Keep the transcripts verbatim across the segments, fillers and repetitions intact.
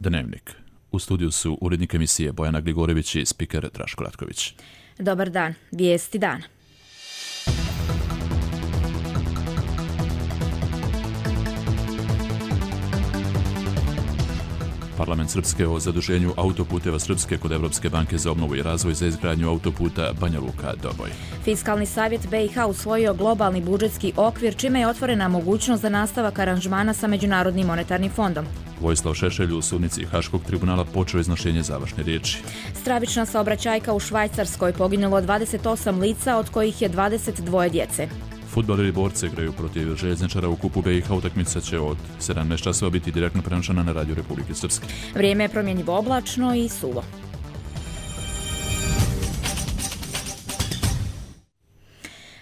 Dnevnik. U studiju su urednik emisije Bojana Gligorević i spiker Draško Ratković. Dobar dan. Vijesti dana. Parlament Srpske o zaduženju autoputeva Srpske kod Evropske banke za obnovu i razvoj za izgradnju autoputa Banja Luka-Doboj. Fiskalni savjet B i H usvojio globalni budžetski okvir, čime je otvorena mogućnost za nastavak aranžmana sa Međunarodnim monetarnim fondom. Vojislav Šešelj u sudnici Haškog tribunala počeo iznošenje završne riječi. Stravična saobraćajka u Švajcarskoj, poginulo dvadeset osam lica, od kojih je dvadeset dvoje djece. Fudbaleri Borce igraju protiv željezničara u kupu B i H. Utakmica će od sedamnaest časova biti direktno prenošena na radiju Republike Srpske. Vrijeme je promjenjivo oblačno i suvo.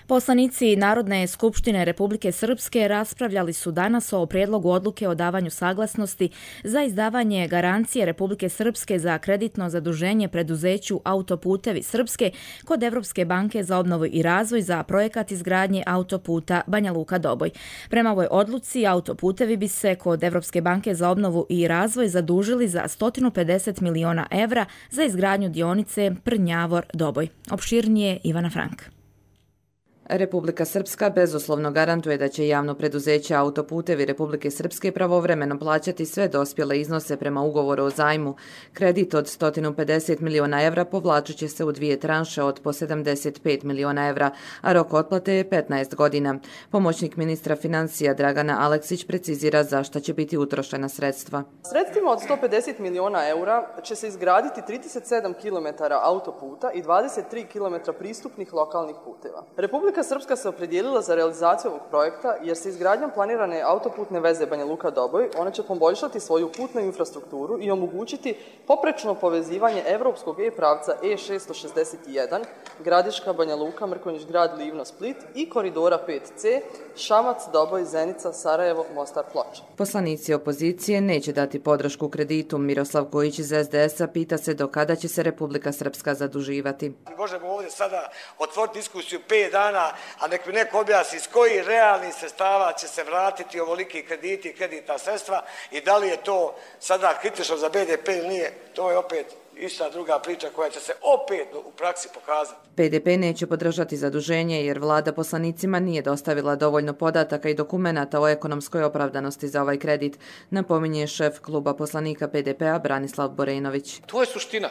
Poslanici Narodne skupštine Republike Srpske raspravljali su danas o prijedlogu odluke o davanju saglasnosti za izdavanje garancije Republike Srpske za kreditno zaduženje preduzeću Autoputevi Srpske kod Evropske banke za obnovu i razvoj za projekat izgradnje autoputa Banja Luka-Doboj. Prema ovoj odluci, autoputevi bi se kod Evropske banke za obnovu i razvoj zadužili za sto pedeset miliona evra za izgradnju dionice Prnjavor-Doboj. Opširnije Ivana Frank. Republika Srpska bezuslovno garantuje da će javno preduzeće Autoputevi Republike Srpske pravovremeno plaćati sve dospjele iznose prema ugovoru o zajmu. Kredit od sto pedeset miliona evra povlačit će se u dvije tranše od po sedamdeset pet miliona evra, a rok otplate je petnaest godina. Pomoćnik ministra financija Dragana Aleksić precizira za šta će biti utrošena sredstva. Sredstvima od sto pedeset miliona eura će se izgraditi trideset sedam kilometara autoputa i dvadeset tri kilometra pristupnih lokalnih puteva. Republika Srpska se opredijelila za realizaciju ovog projekta jer se izgradnjom planirane autoputne veze Banja Luka-Doboj ona će poboljšati svoju putnu infrastrukturu i omogućiti poprečno povezivanje evropskog E-pravca E šesto šezdeset jedan, Gradiška, Banja Luka, Mrkonjić Grad, Livno, Split i koridora pet C, Šamac, Doboj, Zenica, Sarajevo, Mostar, Ploče. Poslanici opozicije neće dati podršku kreditu. Miroslav Kojić iz es de es a pita se do kada će se Republika Srpska zaduživati. Možemo ovdje sada otvoriti diskusiju pet dana, a nek mi neko objasni s kojih realnih sredstava će se vratiti ovoliki krediti i kreditna sredstva i da li je to sada kritično za be de pe ili nije, to je opet ista druga priča koja će se opet u praksi pokazati. pe de pe neće podržati zaduženje jer vlada poslanicima nije dostavila dovoljno podataka i dokumenata o ekonomskoj opravdanosti za ovaj kredit, napominje šef kluba poslanika pe de pe-a Branislav Borejnović. To je suština.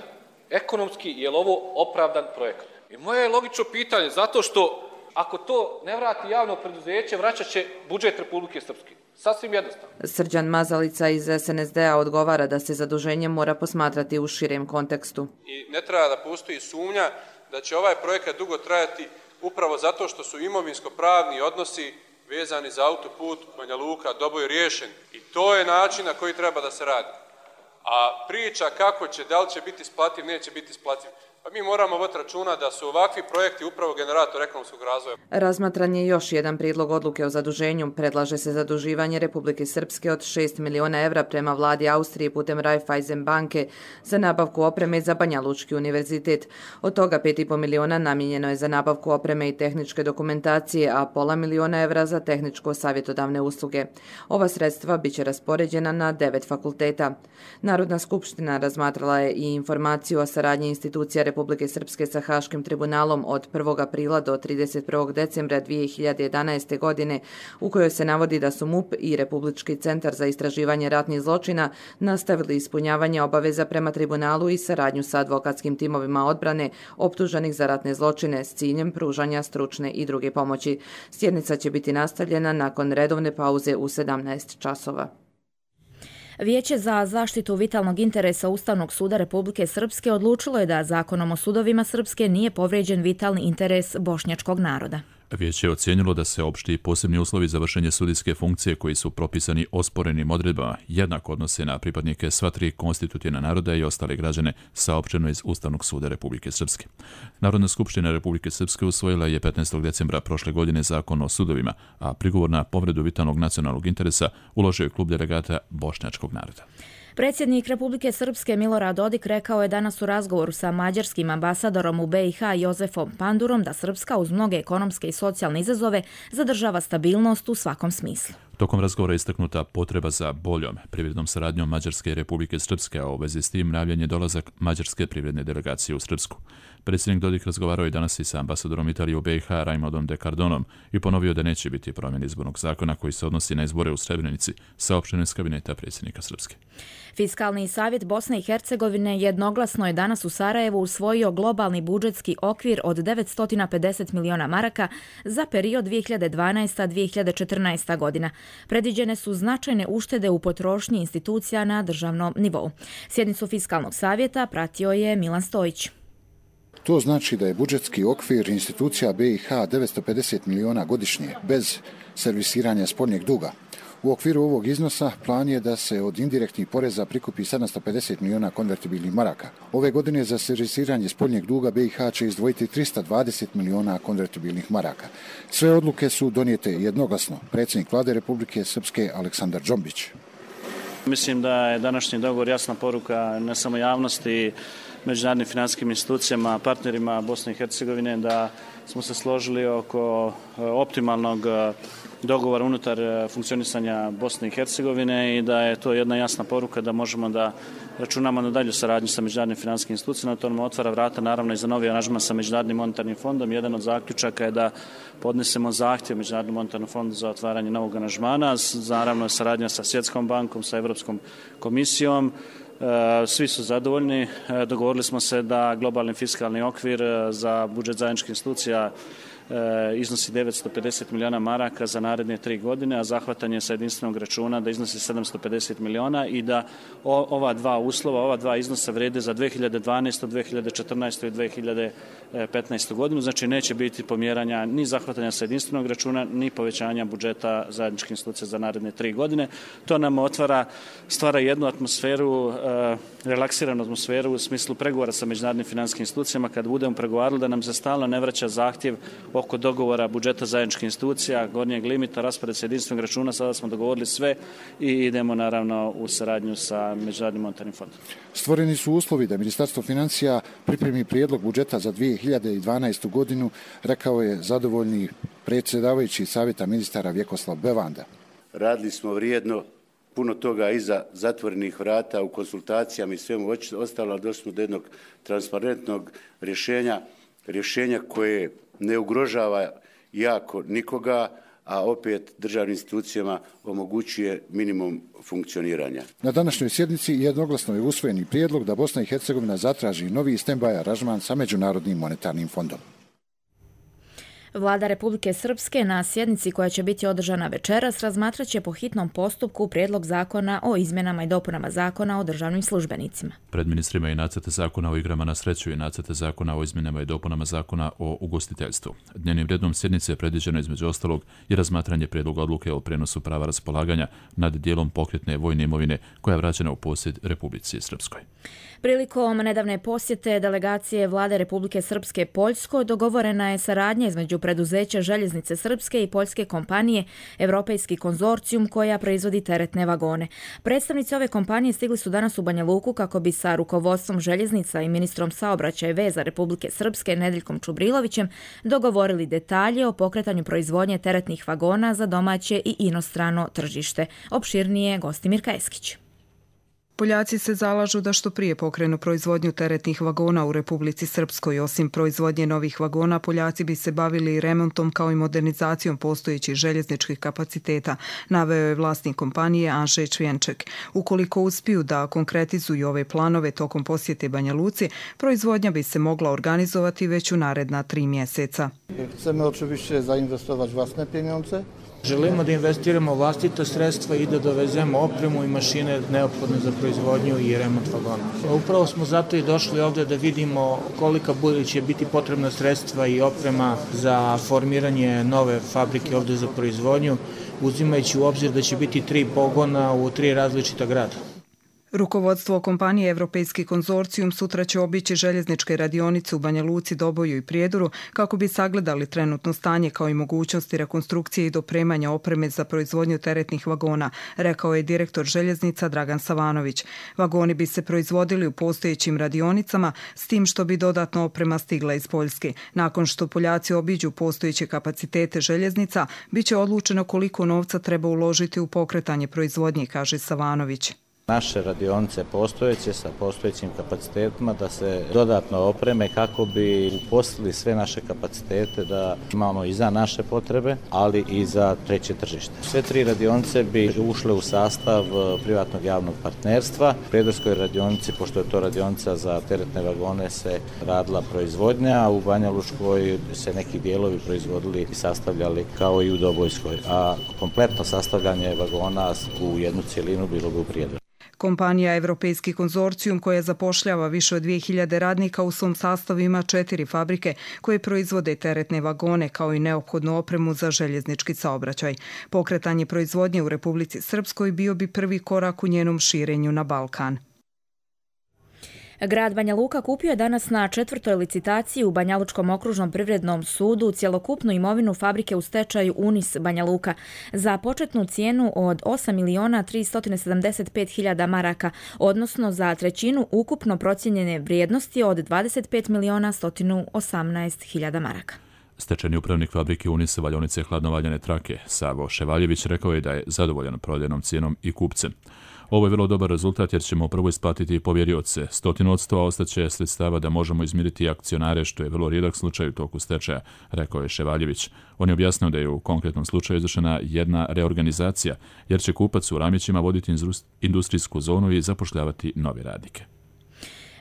Ekonomski je li ovo opravdan projekat? I moje je logično pitanje, zato što ako to ne vrati javno preduzeće, vraćat će budžet Republike Srpske. Sasvim jednostavno. Srđan Mazalica iz es en es de a odgovara da se zaduženje mora posmatrati u širem kontekstu. I ne treba da postoji sumnja da će ovaj projekat dugo trajati upravo zato što su imovinsko-pravni odnosi vezani za autoput Banja Luka-Doboj riješeni. I to je način na koji treba da se radi. A priča kako će, da li će biti isplativ, neće biti isplativ. Pa mi moramo voditi računa da su ovakvi projekti upravo generator ekonomskog razvoja. Razmatran je još jedan prijedlog odluke o zaduženju. Predlaže se zaduživanje Republike Srpske od šest miliona evra prema vladi Austrije putem Raiffeisen banke za nabavku opreme za Banja Lučki univerzitet. Od toga pet i po miliona namijenjeno je za nabavku opreme i tehničke dokumentacije, a pola miliona evra za tehničko-savjetodavne usluge. Ova sredstva biće raspoređena na devet fakulteta. Narodna skupština razmatrala je i informaciju o saradnji institucija Republike Srpske sa Haškim tribunalom od prvog aprila do trideset prvog decembra dvije hiljade jedanaeste. godine, u kojoj se navodi da su MUP i Republički centar za istraživanje ratnih zločina nastavili ispunjavanje obaveza prema tribunalu i saradnju sa advokatskim timovima odbrane optuženih za ratne zločine s ciljem pružanja stručne i druge pomoći. Sjednica će biti nastavljena nakon redovne pauze u sedamnaest časova. Vijeće za zaštitu vitalnog interesa Ustavnog suda Republike Srpske odlučilo je da Zakonom o sudovima Srpske nije povrijeđen vitalni interes bošnjačkog naroda. Vijeće je ocijenilo da se opšti posebni uslovi za vršenje sudijske funkcije koji su propisani osporenim odredbama jednako odnose na pripadnike sva tri konstitutivna naroda i ostale građane, saopšteno iz Ustavnog suda Republike Srpske. Narodna skupština Republike Srpske usvojila je petnaestog decembra prošle godine Zakon o sudovima, a prigovor na povredu vitalnog nacionalnog interesa uložio je klub delegata bošnjačkog naroda. Predsjednik Republike Srpske Milorad Dodik rekao je danas u razgovoru sa mađarskim ambasadorom u be i ha Jozefom Pandurom da Srpska uz mnoge ekonomske i socijalne izazove zadržava stabilnost u svakom smislu. Tokom razgovora je istaknuta potreba za boljom privrednom saradnjom Mađarske i Republike Srpske, a u vezi s tim najavljen je dolazak mađarske privredne delegacije u Srpsku. Predsjednik Dodik razgovarao je danas i sa ambasadorom Italije u B i H Raimondom de Cardonom i ponovio da neće biti promjene izbornog zakona koji se odnosi na izbore u Srebrenici, saopšteno iz kabineta predsjednika Srpske. Fiskalni savjet Bosne i Hercegovine jednoglasno je danas u Sarajevu usvojio globalni budžetski okvir od devetsto pedeset miliona maraka za period dvije hiljade dvanaesta do dvije hiljade četrnaeste. godina. Predviđene su značajne uštede u potrošnji institucija na državnom nivou. Sjednicu Fiskalnog savjeta pratio je Milan Stojić. To znači da je budžetski okvir institucija B i H devetsto pedeset miliona godišnje, bez servisiranja spoljnjeg duga. U okviru ovog iznosa plan je da se od indirektnih poreza prikupi sedamsto pedeset miliona konvertibilnih maraka. Ove godine za servisiranje spoljnjeg duga B i H će izdvojiti trista dvadeset miliona konvertibilnih maraka. Sve odluke su donijete jednoglasno. Predsjednik Vlade Republike Srpske Aleksandar Džombić. Mislim da je današnji dogovor jasna poruka ne samo javnosti, međunarodnim financijskim institucijama, partnerima Bosne i Hercegovine, da smo se složili oko optimalnog dogovora unutar funkcionisanja Bosne i Hercegovine i da je to jedna jasna poruka da možemo da računamo na dalju saradnju sa međunarodnim financijskim institucijama. To nam otvara vrata naravno i za novi aranžman sa Međunarodnim monetarnim fondom. Jedan od zaključaka je da podnesemo zahtjev Međunarodnom monetarnom fondu za otvaranje novog aranžmana, naravno saradnja sa Svjetskom bankom, sa Europskom komisijom. Svi su zadovoljni. Dogovorili smo se da globalni fiskalni okvir za budžet zajedničkih institucija iznosi devetsto pedeset miliona maraka za naredne tri godine, a zahvatanje sa jedinstvenog računa da iznosi sedamsto pedeset miliona i da ova dva uslova, ova dva iznosa vrede za dvije hiljade dvanaestu, dvije hiljade četrnaestu i dvije hiljade petnaestu. godinu. Znači neće biti pomjeranja ni zahvatanja sa jedinstvenog računa, ni povećanja budžeta zajedničkih institucija za naredne tri godine. To nam otvara, stvara jednu atmosferu, relaksiranu atmosferu u smislu pregovora sa međunarodnim financijskim institucijama. Kad budemo pregovarali da nam se stalno ne vraća zahtjev oko dogovora budžeta zajedničkih institucija, gornjeg limita, raspored sa jedinstvenog računa, sada smo dogovorili sve i idemo naravno u saradnju sa Međunarodnim monetarnim fondom. Stvoreni su uslovi da Ministarstvo financija pripremi prijedlog budžeta za dvije hiljade dvanaestu. godinu, rekao je zadovoljni predsjedavajući Savjeta ministara Vjekoslav Bevanda. Radili smo vrijedno, puno toga iza zatvorenih vrata u konsultacijama i svemu ostalo, došli smo do jednog transparentnog rješenja, rješenja koje ne ugrožava jako nikoga, a opet državnim institucijama omogućuje minimum funkcioniranja. Na današnjoj sjednici jednoglasno je usvojeni prijedlog da Bosna i Hercegovina zatraži novi stand-by aranžman sa Međunarodnim monetarnim fondom. Vlada Republike Srpske na sjednici koja će biti održana večeras razmatrat će po hitnom postupku prijedlog zakona o izmjenama i dopunama zakona o državnim službenicima. Pred ministrima je nacrte zakona o igrama na sreću i nacrte zakona o izmjenama i dopunama zakona o ugostiteljstvu. Dnevnim redom sjednice je predviđeno između ostalog i razmatranje prijedloga odluke o prenosu prava raspolaganja nad dijelom pokretne vojne imovine koja je vraćena u posjed Republici Srpskoj. Prilikom nedavne posjete delegacije Vlade Republike Srpske Poljskoj dogovorena je saradnja između preduzeća Željeznice Srpske i poljske kompanije Europejski konzorcijum koja proizvodi teretne vagone. Predstavnici ove kompanije stigli su danas u Banja Luku kako bi sa rukovodstvom željeznica i ministrom saobraćaja i veza Republike Srpske Nedeljkom Čubrilovićem dogovorili detalje o pokretanju proizvodnje teretnih vagona za domaće i inostrano tržište. Opširnije Gostimir Kajeskić. Poljaci se zalažu da što prije pokrenu proizvodnju teretnih vagona u Republici Srpskoj. Osim proizvodnje novih vagona, Poljaci bi se bavili remontom kao i modernizacijom postojećih željezničkih kapaciteta, naveo je vlasnik kompanije Anžej Čvjenček. Ukoliko uspiju da konkretizuju ove planove tokom posjete Banja Luci, proizvodnja bi se mogla organizovati već u naredna tri mjeseca. Chcemy oczywiście zainwestować własne pieniądze. Želimo da investiramo vlastita sredstva i da dovezemo opremu i mašine neophodne za proizvodnju i remont vagona. Upravo smo zato i došli ovdje da vidimo kolika će biti potrebna sredstva i oprema za formiranje nove fabrike ovdje za proizvodnju, uzimajući u obzir da će biti tri pogona u tri različita grada. Rukovodstvo kompanije Evropejski konzorcijum sutra će obići željezničke radionice u Banja Luci, Doboju i Prijedoru kako bi sagledali trenutno stanje kao i mogućnosti rekonstrukcije i dopremanja opreme za proizvodnju teretnih vagona, rekao je direktor željeznica Dragan Savanović. Vagoni bi se proizvodili u postojećim radionicama s tim što bi dodatna oprema stigla iz Poljske. Nakon što Poljaci obiđu postojeće kapacitete željeznica, bit će odlučeno koliko novca treba uložiti u pokretanje proizvodnje, kaže Savanović. Naše radionice postojeće sa postojećim kapacitetima da se dodatno opreme kako bi uposlili sve naše kapacitete da imamo i za naše potrebe, ali i za treće tržište. Sve tri radionice bi ušle u sastav privatnog javnog partnerstva. U Prijedorskoj radionici, pošto je to radionica za teretne vagone, se radila proizvodnja, a u Banja Lučkoj se neki dijelovi proizvodili i sastavljali kao i u Dobojskoj, a kompletno sastavljanje vagona u jednu cjelinu bilo bi u Prijedoru. Kompanija Evropejski konzorcijum koja zapošljava više od dvije hiljade radnika u svom sastavu ima četiri fabrike koje proizvode teretne vagone kao i neophodnu opremu za željeznički saobraćaj. Pokretanje proizvodnje u Republici Srpskoj bio bi prvi korak u njenom širenju na Balkan. Grad Banja Luka kupio je danas na četvrtoj licitaciji u Banjalučkom okružnom privrednom sudu cjelokupnu imovinu fabrike u stečaju Unis Banja Luka za početnu cijenu od osam miliona tristo sedamdeset pet hiljada maraka, odnosno za trećinu ukupno procijenjene vrijednosti od dvadeset pet miliona sto osamnaest hiljada maraka. Stečajni upravnik fabrike Unis valjaonice hladnovaljane trake Savo Ševaljević rekao je da je zadovoljan prodajnom cijenom i kupcem. Ovo je vrlo dobar rezultat jer ćemo prvo isplatiti povjerioce stotinu od sto, a ostaće sredstava da možemo izmiriti akcionare, što je vrlo rijedak slučaj u toku stečaja, rekao je Ševaljević. On je objasnio da je u konkretnom slučaju izvršena jedna reorganizacija, jer će kupac u Ramićima voditi industrijsku zonu i zapošljavati nove radnike.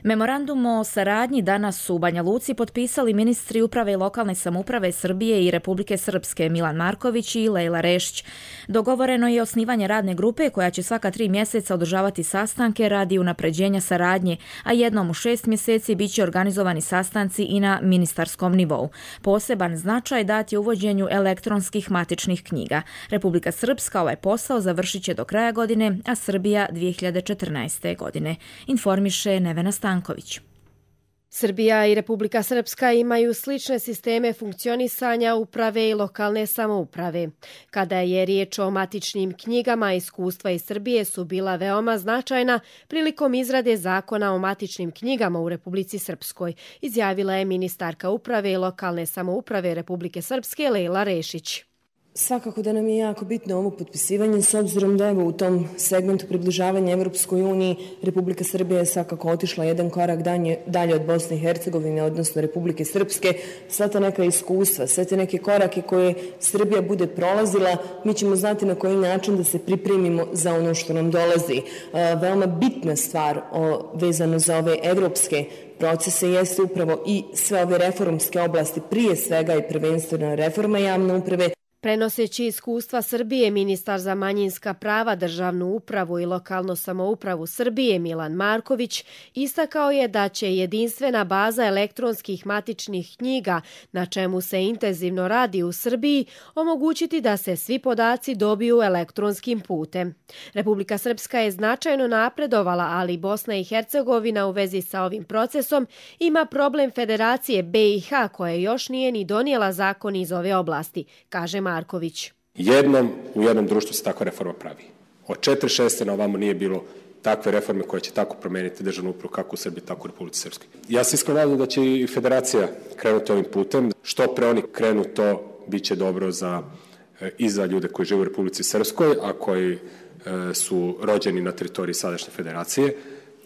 Memorandum o saradnji danas su u Banja Luci potpisali ministri uprave i lokalne samouprave Srbije i Republike Srpske Milan Marković i Lejla Rešić. Dogovoreno je osnivanje radne grupe koja će svaka tri mjeseca održavati sastanke radi unapređenja saradnje, a jednom u šest mjeseci bit će organizovani sastanci i na ministarskom nivou. Poseban značaj dati uvođenju elektronskih matičnih knjiga. Republika Srpska ovaj posao završit će do kraja godine, a Srbija dvije hiljade četrnaeste. godine. Informiše Nevena Stanković. Srbija i Republika Srpska imaju slične sisteme funkcionisanja uprave i lokalne samouprave. Kada je riječ o matičnim knjigama, iskustva iz Srbije su bila veoma značajna prilikom izrade zakona o matičnim knjigama u Republici Srpskoj, izjavila je ministarka uprave i lokalne samouprave Republike Srpske Lejla Rešić. Svakako da nam je jako bitno ovo potpisivanje s obzirom da evo u tom segmentu približavanja Evropskoj uniji Republika Srbija je svakako otišla jedan korak dalje, dalje od Bosne i Hercegovine, odnosno Republike Srpske. Sva ta neka iskustva, sve te neke korake koje Srbija bude prolazila, mi ćemo znati na koji način da se pripremimo za ono što nam dolazi. Veoma bitna stvar o, vezano za ove evropske procese jeste upravo i sve ove reformske oblasti, prije svega i prvenstveno reforma javne uprave. Prenoseći iskustva Srbije, ministar za manjinska prava, državnu upravu i lokalnu samoupravu Srbije Milan Marković istakao je da će jedinstvena baza elektronskih matičnih knjiga, na čemu se intenzivno radi u Srbiji, omogućiti da se svi podaci dobiju elektronskim putem. Republika Srpska je značajno napredovala, ali Bosna i Hercegovina u vezi sa ovim procesom ima problem Federacije B i H koja još nije ni donijela zakon iz ove oblasti, kaže Marković. Jednom u jednom društvu se takva reforma pravi. Od četrdeset šeste na ovamo nije bilo takve reforme koje će tako promijeniti državnu upravu kako u Srbiji, tako u Republici Srpskoj. Ja se iskreno nadam da će i Federacija krenuti ovim putem. Što pre oni krenu, to bit će dobro za, i za ljude koji žive u Republici Srpskoj, a koji e, su rođeni na teritoriji sadašnje Federacije,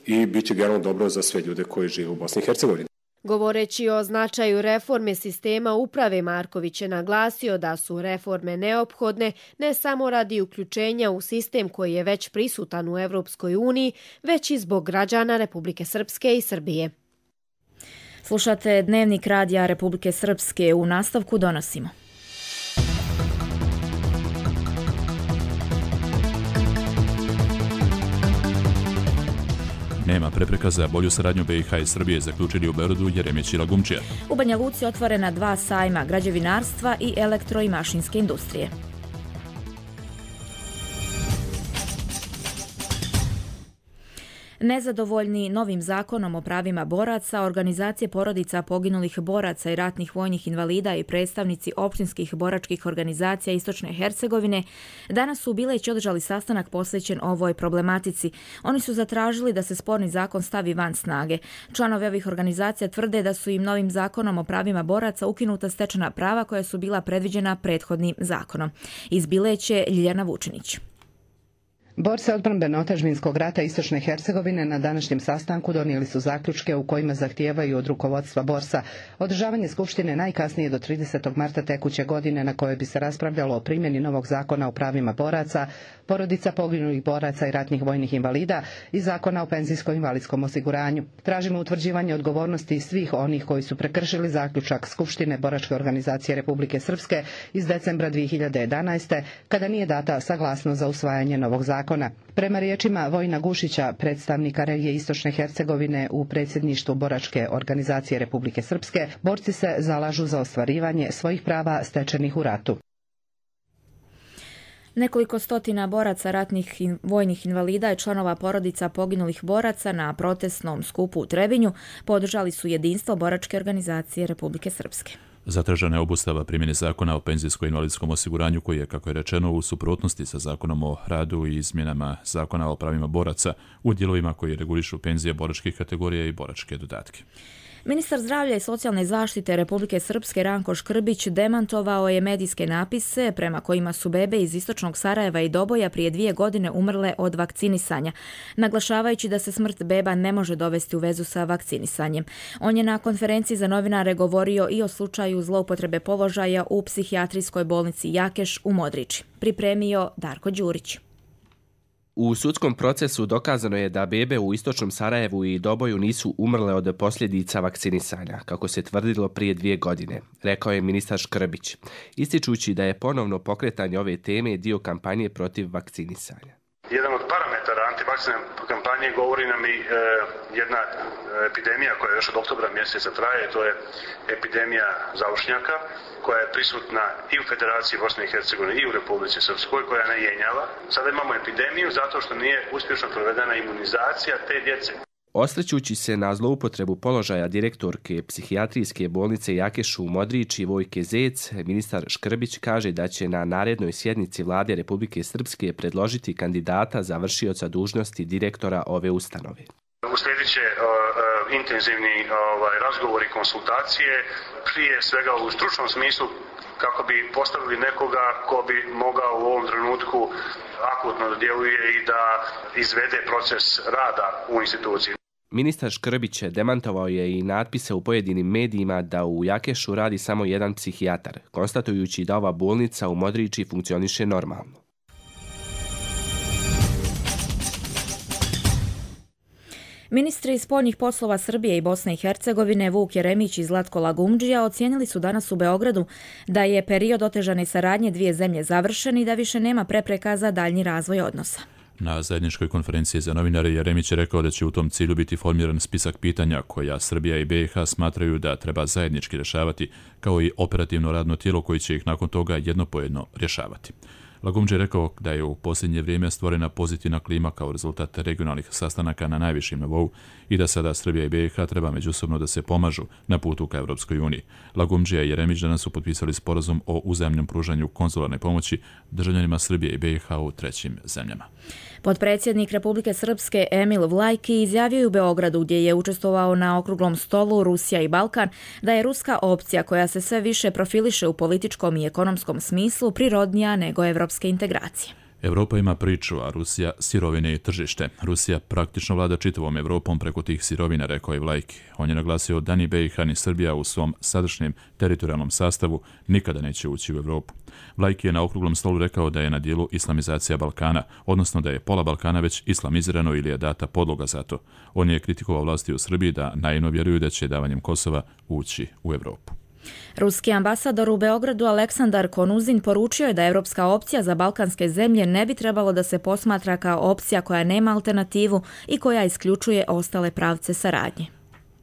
i bit će generalno dobro za sve ljude koji žive u Bosni i Hercegovini. Govoreći o značaju reforme sistema uprave, Marković je naglasio da su reforme neophodne ne samo radi uključenja u sistem koji je već prisutan u Evropskoj uniji, već i zbog građana Republike Srpske i Srbije. Slušate Dnevnik radija Republike Srpske. U nastavku donosimo. Nema prepreka za bolju saradnju B i H i Srbije, zaključili u Beogradu Jeremić i Lagumčija. U Banja Luci otvorena dva sajma građevinarstva i elektro i mašinske industrije. Nezadovoljni novim zakonom o pravima boraca, organizacije porodica poginulih boraca i ratnih vojnih invalida i predstavnici općinskih boračkih organizacija Istočne Hercegovine danas su u Bileći održali sastanak posvećen ovoj problematici. Oni su zatražili da se sporni zakon stavi van snage. Članovi ovih organizacija tvrde da su im novim zakonom o pravima boraca ukinuta stečena prava koja su bila predviđena prethodnim zakonom. Iz Bileće Ljiljana Vučinić. Borci odbrambeno-otadžbinskog rata Istočne Hercegovine na današnjem sastanku donijeli su zaključke u kojima zahtijevaju od rukovodstva Borsa održavanje skupštine najkasnije do tridesetog marta tekuće godine na kojoj bi se raspravljalo o primjeni novog zakona o pravima boraca, porodica poginulih boraca i ratnih vojnih invalida i zakona o penzijsko-invalidskom osiguranju. Tražimo utvrđivanje odgovornosti svih onih koji su prekršili zaključak Skupštine Boračke organizacije Republike Srpske iz decembra dvije hiljade jedanaeste kada nije data saglasnost za usvajanje novog zakona. Prema riječima Vojina Gušića, predstavnika regije Istočne Hercegovine u predsjedništvu Boračke organizacije Republike Srpske, borci se zalažu za ostvarivanje svojih prava stečenih u ratu. Nekoliko stotina boraca, ratnih i vojnih invalida i članova porodica poginulih boraca na protestnom skupu u Trebinju podržali su jedinstvo Boračke organizacije Republike Srpske. Zatražena je obustava primjene zakona o penzijsko-invalidskom osiguranju koji je, kako je rečeno, u suprotnosti sa zakonom o radu i izmjenama zakona o pravima boraca u dijelovima koji regulišu penzije boračkih kategorija i boračke dodatke. Ministar zdravlja i socijalne zaštite Republike Srpske Ranko Škrbić demantovao je medijske napise prema kojima su bebe iz istočnog Sarajeva i Doboja prije dvije godine umrle od vakcinisanja, naglašavajući da se smrt beba ne može dovesti u vezu sa vakcinisanjem. On je na konferenciji za novinare govorio i o slučaju zloupotrebe položaja u psihijatrijskoj bolnici Jakeš u Modriči. Pripremio Darko Đurić. U sudskom procesu dokazano je da bebe u istočnom Sarajevu i Doboju nisu umrle od posljedica vakcinisanja, kako se tvrdilo prije dvije godine, rekao je ministar Škrbić, ističući da je ponovno pokretanje ove teme dio kampanje protiv vakcinisanja. Jedan od parametara antivakcine kampanje govori nam i e, jedna epidemija koja još od oktobra mjeseca traje, to je epidemija zaušnjaka, koja je prisutna i u Federaciji Bosne i Hercegovine i u Republici Srpskoj, koja ne jenjava. Sada imamo epidemiju zato što nije uspješno provedena imunizacija te djece. Osvrćući se na zloupotrebu položaja direktorke psihijatrijske bolnice Jakešu u Modriči Vojke Zec, ministar Škrbić kaže da će na narednoj sjednici Vlade Republike Srpske predložiti kandidata za vršioca dužnosti direktora ove ustanove. Uslijedit će uh, uh, intenzivni ovaj, razgovori i konsultacije, prije svega u stručnom smislu kako bi postavili nekoga ko bi mogao u ovom trenutku akutno da djeluje i da izvede proces rada u instituciji. Ministar Škrbić demantovao je i natpise u pojedinim medijima da u Jakešu radi samo jedan psihijatar, konstatujući da ova bolnica u Modriči funkcioniše normalno. Ministri spoljnih poslova Srbije i Bosne i Hercegovine Vuk Jeremić i Zlatko Lagumdžija ocijenili su danas u Beogradu da je period otežane saradnje dvije zemlje završen i da više nema prepreka za daljnji razvoj odnosa. Na zajedničkoj konferenciji za novinare Jeremić je rekao da će u tom cilju biti formiran spisak pitanja koja Srbija i B i H smatraju da treba zajednički rješavati, kao i operativno radno tijelo koji će ih nakon toga jedno po jedno rješavati. Lagumdžija je rekao da je u posljednje vrijeme stvorena pozitivna klima kao rezultat regionalnih sastanaka na najvišim nivou i da sada Srbija i B i H treba međusobno da se pomažu na putu ka Evropskoj uniji. Lagumdžija i Jeremić danas su potpisali sporazum o uzajamnom pružanju konzularne pomoći državljanima Srbije i B i H u trećim zemljama. Potpredsjednik Republike Srpske Emil Vlajki izjavio je u Beogradu, gdje je učestvovao na okruglom stolu Rusija i Balkan, da je ruska opcija koja se sve više profiliše u političkom i ekonomskom smislu prirodnija nego evropske integracije. Evropa ima priču, a Rusija sirovine i tržište. Rusija praktično vlada čitavom Evropom preko tih sirovina, rekao je Vlajki. On je naglasio da ni B i H ni Srbija u svom sadašnjem teritorijalnom sastavu nikada neće ući u Evropu. Vlajki je na okruglom stolu rekao da je na dijelu islamizacija Balkana, odnosno da je pola Balkana već islamizirano ili je data podloga za to. On je kritikovao vlasti u Srbiji da naivno vjeruju da će davanjem Kosova ući u Evropu. Ruski ambasador u Beogradu Aleksandar Konuzin poručio je da evropska opcija za balkanske zemlje ne bi trebalo da se posmatra kao opcija koja nema alternativu i koja isključuje ostale pravce saradnje.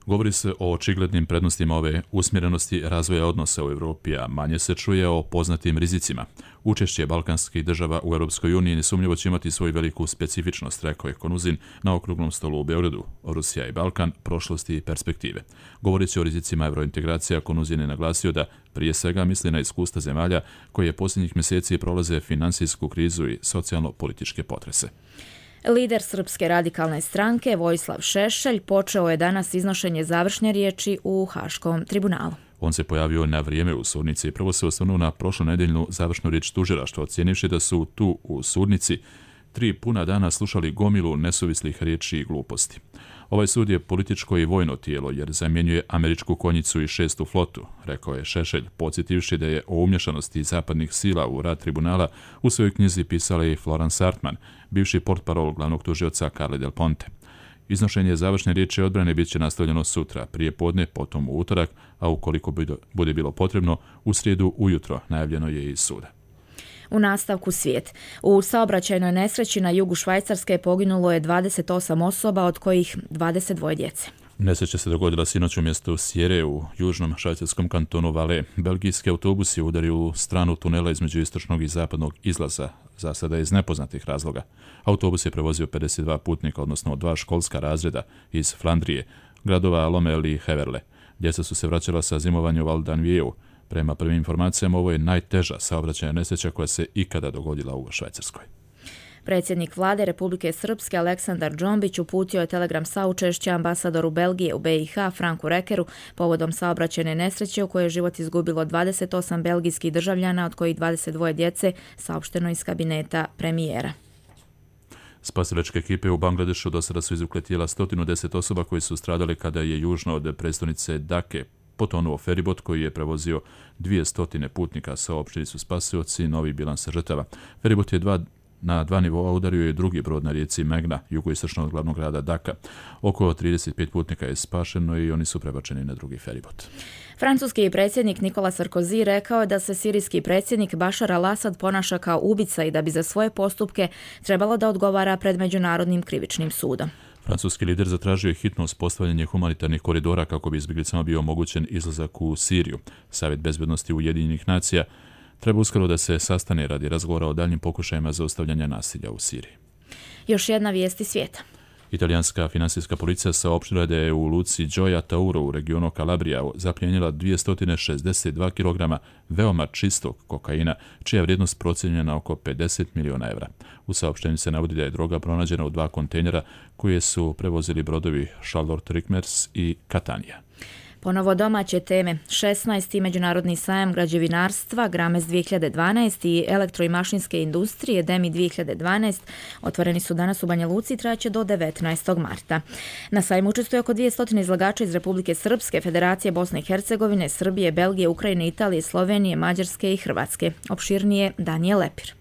Govori se o očiglednim prednostima ove usmjerenosti razvoja odnosa u Europi, a manje se čuje o poznatim rizicima. Učešće balkanskih država u Europskoj uniji nesumnjivo će imati svoju veliku specifičnost, rekao je Konuzin na okruglom stolu u Beogradu. Rusija i Balkan, prošlosti i perspektive. Govoreći o rizicima evrointegracija, Konuzin je naglasio da prije svega misli na iskustva zemalja koje posljednjih mjeseci prolaze finansijsku krizu i socijalno-političke potrese. Lider Srpske radikalne stranke Vojislav Šešelj počeo je danas iznošenje završne riječi u Haškom tribunalu. On se pojavio na vrijeme u sudnici i prvo se osvrnuo na prošlonedeljnu završnu riječ tužilaštva, ocjenivši da su tu u sudnici tri puna dana slušali gomilu nesuvislih riječi i gluposti. Ovaj sud je političko i vojno tijelo jer zamjenjuje američku konjicu i šestu flotu, rekao je Šešelj, podsjetivši da je o umješanosti zapadnih sila u rad tribunala u svojoj knjizi pisala i Florence Hartman, bivši portparol glavnog tužioca Carle Del Ponte. Iznošenje završne riječi odbrane bit će nastavljeno sutra, prije podne, potom u utorak, a ukoliko bude bilo potrebno, u srijedu ujutro, najavljeno je iz suda. U nastavku svijet. U saobraćajnoj nesreći na jugu Švajcarske poginulo je dvadeset osam osoba, od kojih dvadeset dvoje djece. Nesreća se dogodila sinoć u mjestu Sjere u južnom švajcarskom kantonu Valais. Belgijski autobus je udario u stranu tunela između istočnog i zapadnog izlaza, za sada iz nepoznatih razloga. Autobus je prevozio pedeset dva putnika, odnosno dva školska razreda iz Flandrije, gradova Lommel i Heverle. Djeca su se vraćala sa zimovanja u Val d'Anvieru. Prema prvim informacijama, ovo je najteža saobraćajna nesreća koja se ikada dogodila u Švajcarskoj. Predsjednik vlade Republike Srpske Aleksandar Džombić uputio je telegram saučešća ambasadoru Belgije u B i H Franku Rekeru povodom saobraćajne nesreće u kojoj je život izgubilo dvadeset osam belgijskih državljana, od kojih dvadeset dvoje djece, saopšteno iz kabineta premijera. Spasilačke ekipe u Bangladešu do sada su izvukle tijela sto deset osoba koji su stradali kada je južno od prestonice Dake potonuo feribot koji je prevozio dvjesto putnika, saopštili su spasioci novi bilans žrtava. Feribot je dva Na dva nivoa udario je drugi brod na rijeci Megna, jugoistočno od glavnog grada Daka. Oko trideset pet putnika je spašeno i oni su prebačeni na drugi feribot. Francuski predsjednik Nicolas Sarkozy rekao je da se sirijski predsjednik Bashar al-Assad ponaša kao ubica i da bi za svoje postupke trebalo da odgovara pred Međunarodnim krivičnim sudom. Francuski lider zatražio je hitno uspostavljanje humanitarnih koridora kako bi izbjeglicama bio omogućen izlazak u Siriju. Savjet bezbednosti Ujedinjenih nacija treba uskoro da se sastane radi razgovora o daljnjim pokušajima zaustavljanja nasilja u Siriji. Još jedna vijest iz svijeta. Italijanska finansijska policija saopštila da je u luci Gioia Tauro u regionu Kalabrija zapljenila dvjesto šezdeset dva kilograma veoma čistog kokaina, čija je vrijednost procijenjena na oko pedeset miliona evra. U saopštenju se navodi da je droga pronađena u dva kontejnera koje su prevozili brodovi Charlotte Rickmers i Catania. Ponovo domaće teme. šesnaesti Međunarodni sajam građevinarstva Grames dvije hiljade dvanaest i elektro- i mašinske industrije Demi dvije hiljade dvanaest otvoreni su danas u Banja Luci i trajaće do devetnaestog marta. Na sajmu učestvuje oko dvjesto izlagača iz Republike Srpske, Federacije Bosne i Hercegovine, Srbije, Belgije, Ukrajine, Italije, Slovenije, Mađarske i Hrvatske. Opširnije Danijel Lepir.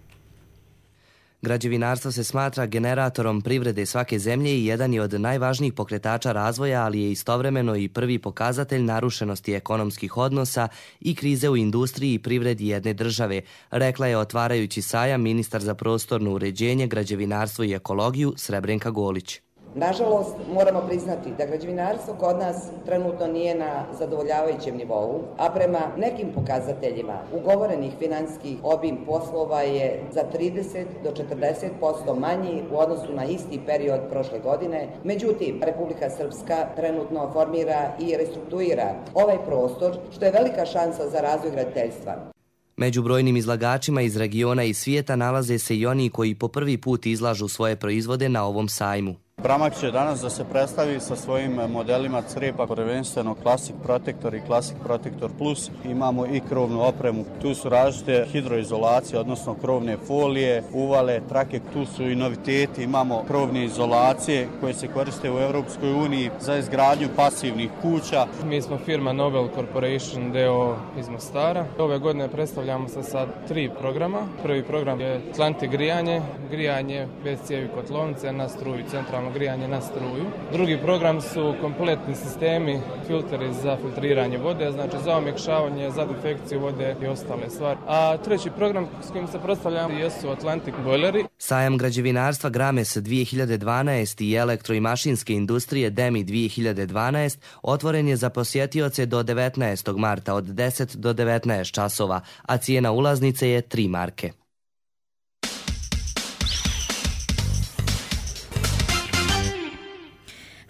Građevinarstvo se smatra generatorom privrede svake zemlje i jedan je od najvažnijih pokretača razvoja, ali je istovremeno i prvi pokazatelj narušenosti ekonomskih odnosa i krize u industriji i privredi jedne države, rekla je otvarajući sajam ministar za prostorno uređenje, građevinarstvo i ekologiju Srebrenka Golić. Nažalost, moramo priznati da građevinarstvo kod nas trenutno nije na zadovoljavajućem nivou, a prema nekim pokazateljima ugovorenih financijskih obim poslova je za trideset do četrdeset posto manji u odnosu na isti period prošle godine. Međutim, Republika Srpska trenutno formira i restrukturira ovaj prostor, što je velika šansa za razvoj graditeljstva. Među brojnim izlagačima iz regiona i svijeta nalaze se i oni koji po prvi put izlažu svoje proizvode na ovom sajmu. Bramak će danas da se predstavi sa svojim modelima crepa, prvenstveno Classic Protector i Classic Protector Plus. Imamo i krovnu opremu. Tu su različite hidroizolacije, odnosno krovne folije, uvale, trake. Tu su i noviteti. Imamo krovne izolacije koje se koriste u Europskoj uniji za izgradnju pasivnih kuća. Mi smo firma Nobel Corporation D O iz Mostara. Ove godine predstavljamo se sa tri programa. Prvi program je Atlantic grijanje, grijanje bez cijevi kotlovnice na struju centralnog centralno grijanje na struju. Drugi program su kompletni sistemi, filteri za filtriranje vode, znači za omekšavanje, za defekciju vode i ostale stvari. A treći program s kojim se predstavljamo jesu Atlantic bojleri. Sajam građevinarstva Grames dvije hiljade dvanaest i elektro- i mašinske industrije Demi dvije hiljade dvanaest otvoren je za posjetioce do devetnaestog marta od deset do devetnaest časova, a cijena ulaznice je tri marke.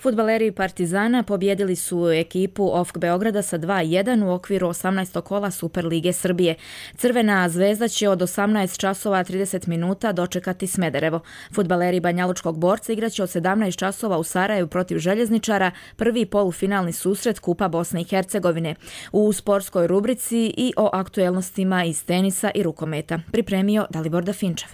Fudbaleri Partizana pobjedili su ekipu O F K Beograda sa dva jedan u okviru osamnaestog kola Superlige Srbije. Crvena zvezda će od osamnaest časova trideset minuta dočekati Smederevo. Fudbaleri Banjalučkog Borca igraće od sedamnaest časova u Sarajevu protiv Željezničara, prvi polufinalni susret Kupa Bosne i Hercegovine. U sportskoj rubrici i o aktuelnostima iz tenisa i rukometa. Pripremio Dalibor Dafinčev.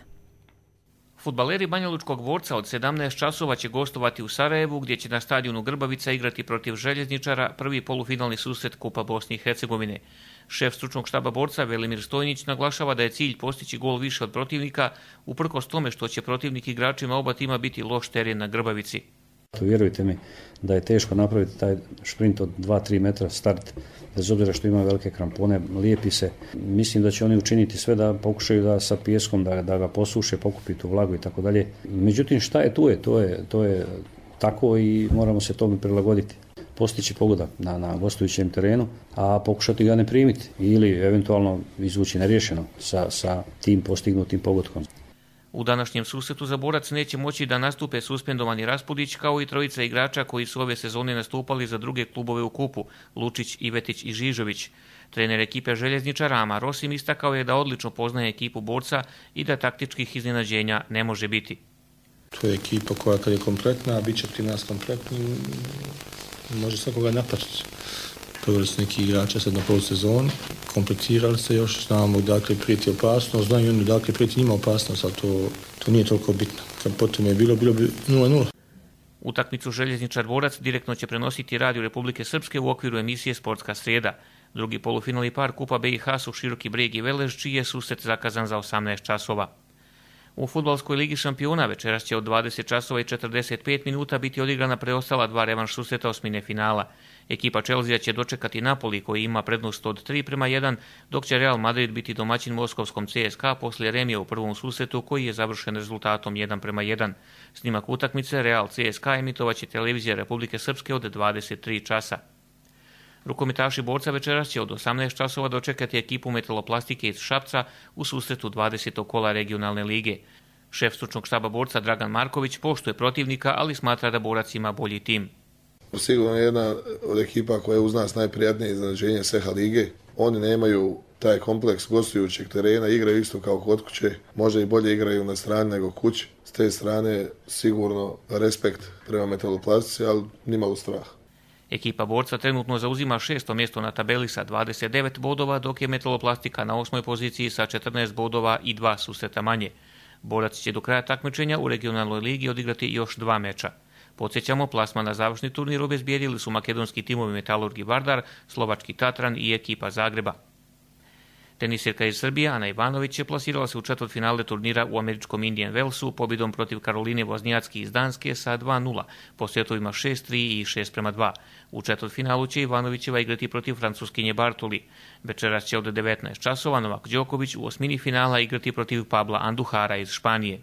Fudbaleri Banjalučkog Dvorca od sedamnaest časova će gostovati u Sarajevu, gdje će na stadionu Grbavica igrati protiv Željezničara prvi polufinalni susret Kupa Bosne i Hercegovine. Šef stručnog štaba Borca Velimir Stojnić naglašava da je cilj postići gol više od protivnika, uprkos tome što će protivnik igračima oba tima biti loš teren na Grbavici. Vjerujte mi da je teško napraviti taj šprint od dva do tri metra start, bez obzira što ima velike krampone, lijepi se. Mislim da će oni učiniti sve da pokušaju da sa pijeskom da, da ga posuše, pokupi tu vlagu i tako dalje. Međutim, šta je tu je, to je, to je tako i moramo se tome prilagoditi. Postići pogodak na, na gostujućem terenu, a pokušati ga ne primiti ili eventualno izvući neriješeno sa, sa tim postignutim pogodkom. U današnjem susretu za Borac neće moći da nastupe suspendovani Raspudić, kao i trojica igrača koji su ove sezone nastupali za druge klubove u kupu, Lučić, Ivetić i Žižović. Trener ekipe Željezničara Amar Rosim istakao je da odlično poznaje ekipu Borca i da taktičkih iznenađenja ne može biti. To je ekipa koja kad je kompletna, a bit će pri nas kompletni, može svakoga napatiti. Proveli su neki igrača sad na polusezoni, kompletirali se još, znamo dakle prijeti opasnost, znaju oni dakle prijeti njima opasnost, ali to, to nije toliko bitno. Kad potom je bilo, bilo bi nula nula. Utakmicu Željezničar Borac direktno će prenositi Radio Republike Srpske u okviru emisije Sportska srijeda. Drugi polufinalni par Kupa B i H su Široki Breg i Velež, čiji je susret zakazan za osamnaest časova. U fudbalskoj ligi šampiona večeras će od dvadeset časova i četrdeset pet minuta biti odigrana preostala dva revanš susreta osmine finala. Ekipa Chelsea će dočekati Napoli koji ima prednost od tri prema jedan, dok će Real Madrid biti domaćin moskovskom C S K A poslije remija u prvom susretu koji je završen rezultatom jedan prema jedan. Snimak utakmice Real C S K A emitovaće televizija Republike Srpske od dvadeset tri časa. Rukometaši Borca večeras će od osamnaest časova dočekati ekipu Metaloplastike iz Šapca u susretu dvadesetog kola regionalne lige. Šef stručnog štaba Borca Dragan Marković poštuje protivnika, ali smatra da Borac ima bolji tim. Sigurno je jedna od ekipa koja je uz nas najprijatnije iznenađenje S E H A lige. Oni nemaju taj kompleks gostujućeg terena, igraju isto kao kod kuće, možda i bolje igraju na strani nego kući. S te strane sigurno respekt prema Metaloplastici, ali nimalo strah. Ekipa Borca trenutno zauzima šesto mjesto na tabeli sa dvadeset devet bodova, dok je Metaloplastika na osmoj poziciji sa četrnaest bodova i dva susreta manje. Borac će do kraja takmičenja u regionalnoj ligi odigrati još dva meča. Podsjećamo, plasman na završni turnir obezbijedili su makedonski timovi Metalurgi Vardar, slovački Tatran i ekipa Zagreba. Tenisirka iz Srbije Ana Ivanović je plasirala se u četvrtfinale turnira u američkom Indian Wellsu pobjedom protiv Karoline Voznjacki iz Danske sa dva nula, po setovima šest tri i šest prema dva. U četvrtfinalu će Ivanovićeva igrati protiv Francuskinje Bartoli. Večeras će od devetnaest časova Novak Đoković u osmini finala igrati protiv Pabla Anduhara iz Španije.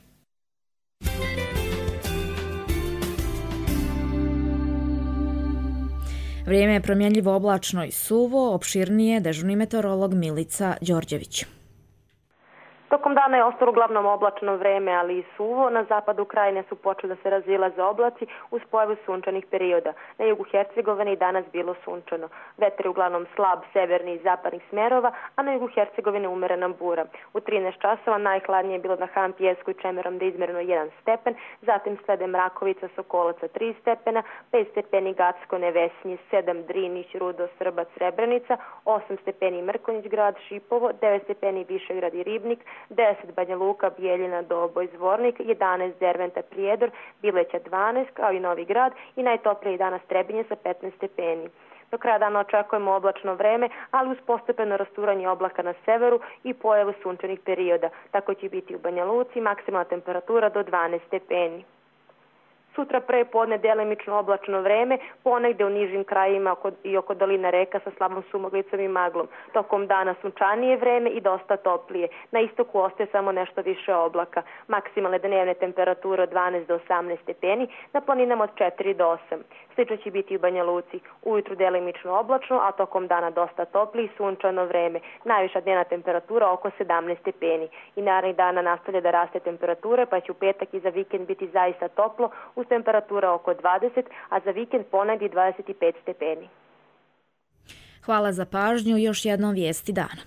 Vrijeme je promjenljivo, oblačno i suvo, opširnije dežurni meteorolog Milica Đorđević. Tokom dana je ostalo uglavnom oblačno vreme, ali i suvo. Na zapadu krajine su počeli da se razilaze oblaci uz pojavu sunčanih perioda. Na jugu Hercegovine i danas bilo sunčano. Vetar je uglavnom slab severni i zapadnih smerova, a na jugu Hercegovine umerena bura. U trinaest časova najhladnije je bilo na Han Pijesku i Čemerom da je izmjereno jedan stepen, zatim slede Mrakovica, Sokolaca tri stepena, pet stepeni Gacko, Nevesinje, sedam Drinić, Rudo, Srbac, Srebrenica, osam stepeni Mrkonjić grad, Šipovo, devet stepeni Višegrad i Ribnik, deset Banja Luka, Bijeljina, Doboj, Zvornik, jedanaest Derventa, Prijedor, Bileća dvanaest, kao i Novi Grad i najtoplije danas Trebinje sa petnaest stepeni. Do kraja dana očekujemo oblačno vreme, ali uz postepeno rasturanje oblaka na severu i pojavu sunčanih perioda. Tako će biti u Banja Luci, maksimalna temperatura do dvanaest stepeni. Sutra pre podne delimično oblačno vreme, ponegde u nižim krajima i oko doline reka sa slabom sumoglicom i maglom. Tokom dana sunčanije vreme i dosta toplije. Na istoku ostaje samo nešto više oblaka. Maksimalne dnevne temperature od dvanaest do osamnaest stepeni, na planinama od četiri do osam. Slično će biti u Banja Luci. Ujutru delimično oblačno, a tokom dana dosta toplije i sunčano vreme. Najviša dnevna temperatura oko sedamnaest stepeni. I narednih dana nastavlja da raste temperatura, pa će u petak i za vikend biti zaista toplo, uz temperatura oko dvadeset, a za vikend ponegdje dvadeset pet stepeni. Hvala za pažnju. Još jednom vijesti dana.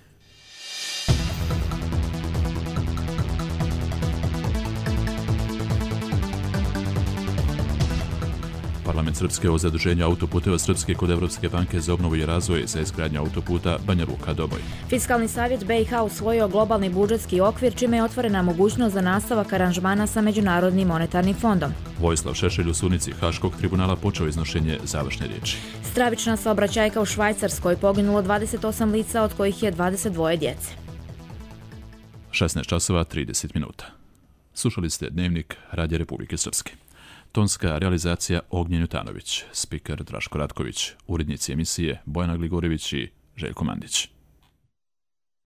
Parlament Srpske o zaduženju autoputeva Srpske kod Evropske banke za obnovu i razvoj za izgradnju autoputa Banja Luka-Doboj. Fiskalni savjet B i H usvojio globalni budžetski okvir, čime je otvorena mogućnost za nastavak aranžmana sa Međunarodnim monetarnim fondom. Vojislav Šešelj u sudnici Haškog tribunala počeo iznošenje završne riječi. Stravična saobraćajka u Švajcarskoj, poginulo dvadeset osam lica, od kojih je dvadeset dvoje djece. šesnaest časova trideset minuta. Slušali ste Dnevnik Radija Republike Srpske. Tonska realizacija Ognjen Jutanović, spiker Draško Ratković, urednici emisije Bojana Gligorjević i Željko Mandić.